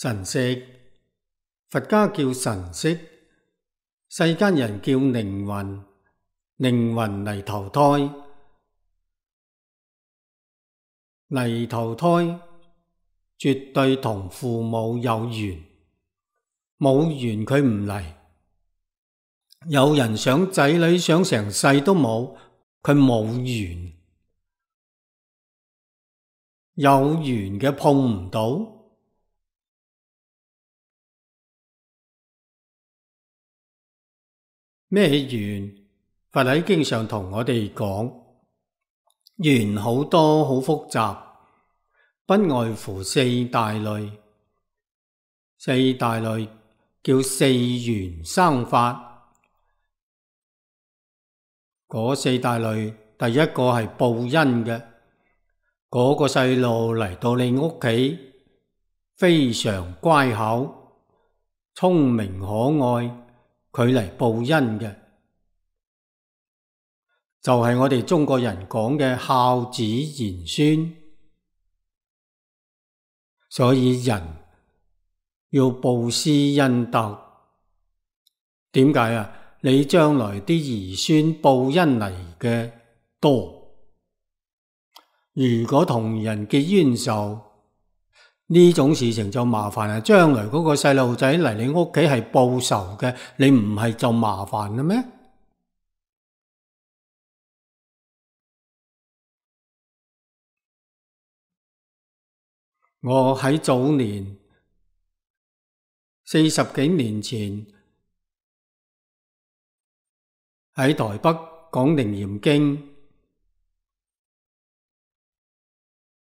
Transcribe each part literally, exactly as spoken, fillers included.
神識，佛家叫神識，世間人叫靈魂，靈魂嚟投胎，嚟投胎絕對同父母有緣，冇緣佢唔嚟。有人想仔女想成世都冇，佢冇緣，有緣嘅碰唔到。咩緣？佛喺經上同我哋講，緣好多好複雜，不外乎四大類。四大類叫四緣生法。嗰四大類，第一個係報恩嘅。嗰個細路嚟到你屋企，非常乖巧、聰明可愛，佢嚟報恩嘅，就係我哋中國人講嘅孝子賢孫。所以人要布施恩德。點解啊？你將來啲兒孫報恩嚟嘅多，如果同人結冤仇，呢種事情就麻煩啦。將來嗰個細路仔嚟你屋企係報仇嘅，你唔係就麻煩啦咩？我喺早年四十幾年前喺台北講楞嚴經，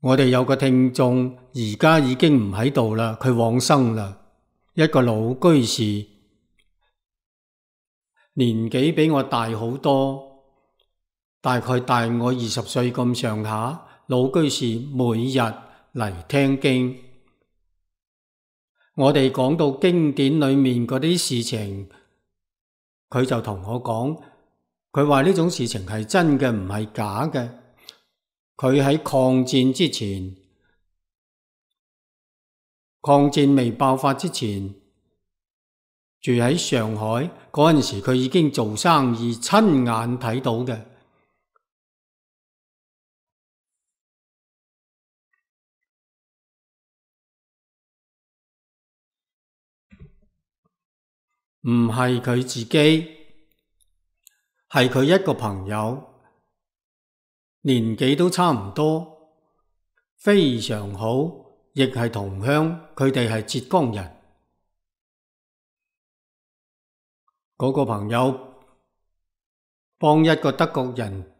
我哋有個聽眾而家已經唔喺度啦，佢往生啦。一個老居士，年紀比我大好多，大概大我二十歲咁上下。老居士每日嚟聽經，我哋講到經典裏面嗰啲事情，佢就同我講，佢話呢種事情係真嘅，唔係假嘅。佢喺抗戰之前，抗戰未爆發之前，住喺上海嗰陣時，佢已經做生意，親眼睇到嘅。唔係佢自己，係佢一個朋友，年紀都差唔多，非常好，亦係同鄉，佢哋係浙江人。嗰個朋友幫一個德國人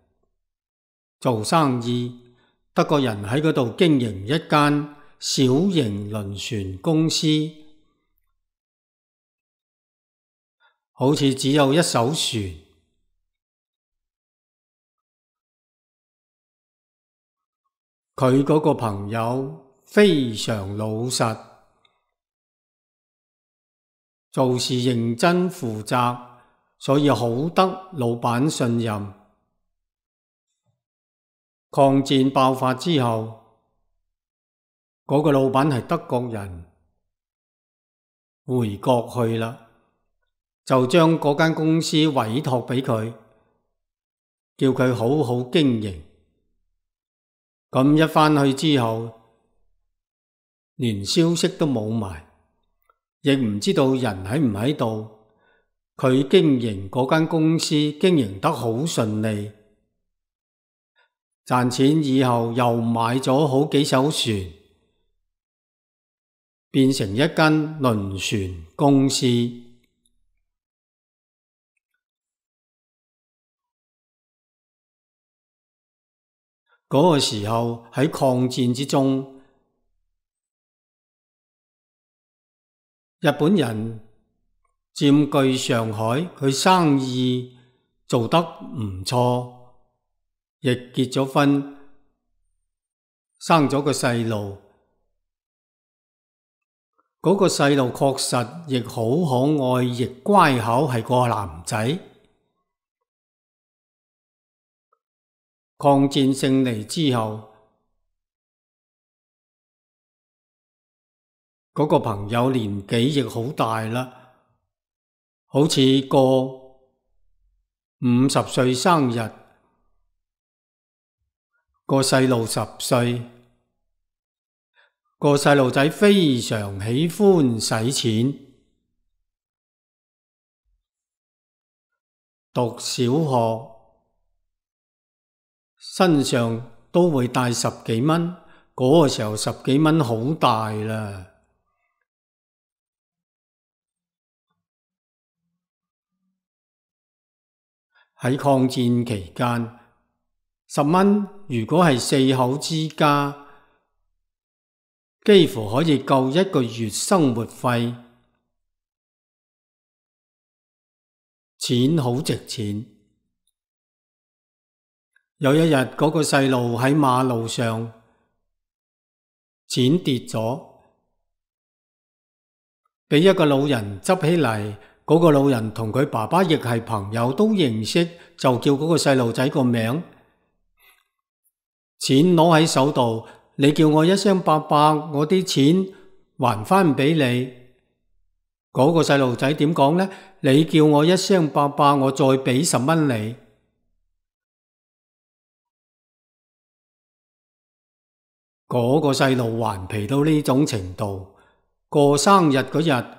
做生意，德國人喺嗰度經營一間小型輪船公司，好似只有一艘船。佢嗰個朋友非常老實，做事認真負責，所以好得老闆信任。抗戰爆發之後，嗰個老闆係德國人，回國去啦，就將嗰間公司委託俾佢，叫佢好好經營。咁一返去之後，連消息都冇埋，亦唔知道人喺唔喺度。佢經營嗰間公司經營得好順利，賺錢以後又買咗好幾艘船，變成一間輪船公司。嗰個時候喺抗戰之中，日本人佔據上海，佢生意做得唔錯，亦結咗婚，生咗個細路。嗰個細路確實亦好可愛，亦乖巧，係個男仔。抗戰勝利之後，嗰個朋友年紀亦好大啦，好似過五十歲生日，個細路十歲，個細路仔非常喜歡使錢，讀小學身上都會帶十幾蚊，嗰個時候十幾蚊好大啦。喺抗戰期間，十蚊如果係四口之家，幾乎可以夠一個月生活費，錢好值錢。有一日，嗰個細路喺馬路上，錢跌咗，俾一個老人執起嚟。嗰個老人同佢爸爸亦係朋友，都認識，就叫嗰個細路仔個名。錢攞喺手度，你叫我一聲伯伯，我啲錢還返俾你。嗰個細路仔點講呢？你叫我一聲伯伯，我再俾十蚊你。嗰個細路頑皮到呢種程度，過生日嗰日，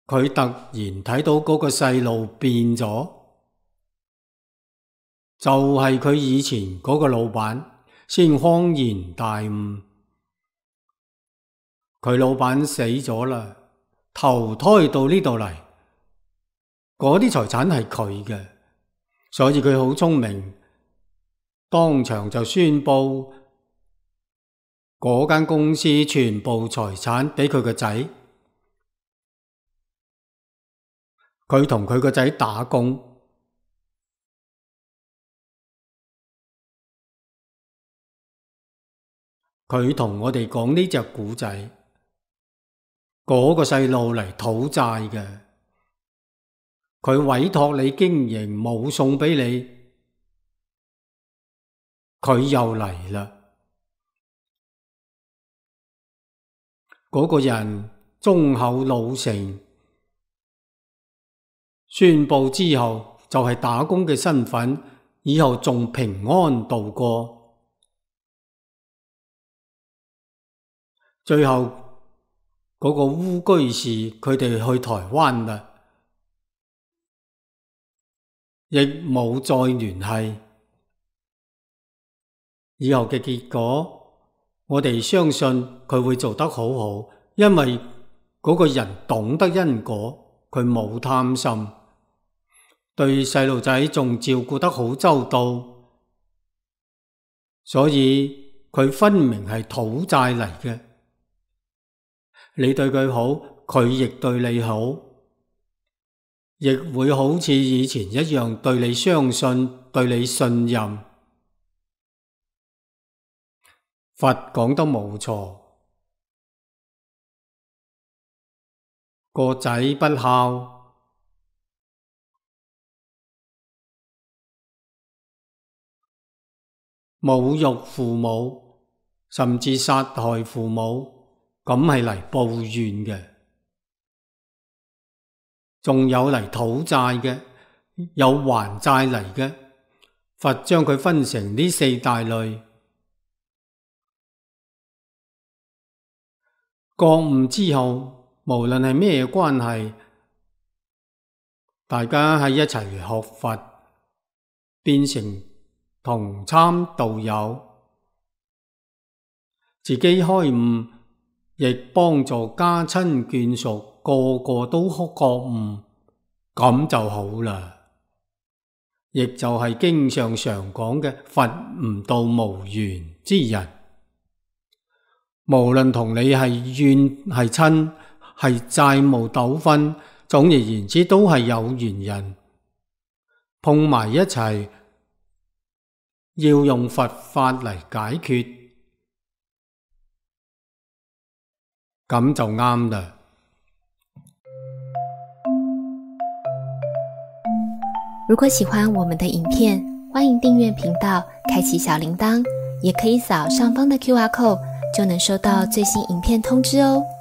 佢突然睇到嗰個細路變咗，就係佢以前嗰個老闆，先恍然大悟。佢老闆死咗啦，投胎到呢度嚟，嗰啲財產係佢嘅，所以佢好聰明，當場就宣布嗰間公司全部財產俾佢個仔。佢同佢個仔打工，佢同我哋講呢隻古仔，嗰個細路嚟討債嘅，佢委託你經營，冇送俾你，佢又嚟啦。嗰個人忠厚老實，宣布之後就係打工嘅身份，以後仲平安度過。最後嗰個烏居士佢哋去台灣啦，亦冇再聯繫。以後嘅結果，我哋相信佢會做得好好，因為嗰個人懂得因果，佢冇貪心。對細路仔仲照顧得好周到，所以佢分明係討債嚟嘅。你對佢好，佢亦對你好，亦會好似以前一樣對你相信，對你信任。佛講得冇錯，個仔不孝，侮辱父母，甚至殺害父母，咁係嚟報怨嘅。仲有嚟討債嘅，有還債嚟嘅。佛將佢分成呢四大類。覺悟之後，無論係咩關係，大家喺一齊學佛，變成同參道友，自己開悟，亦幫助家親眷屬，個個都覺悟，咁就好啦。亦就係經上常講嘅佛悟道無緣之人，無論同你係怨係親，係債務糾紛，總而言之都係有緣人，碰埋一齊，要用佛法嚟解決，咁就啱啦。如果喜歡我們的影片，歡迎訂閱頻道，開啟小鈴鐺，也可以掃上方的 Q R code 就能收到最新影片通知哦。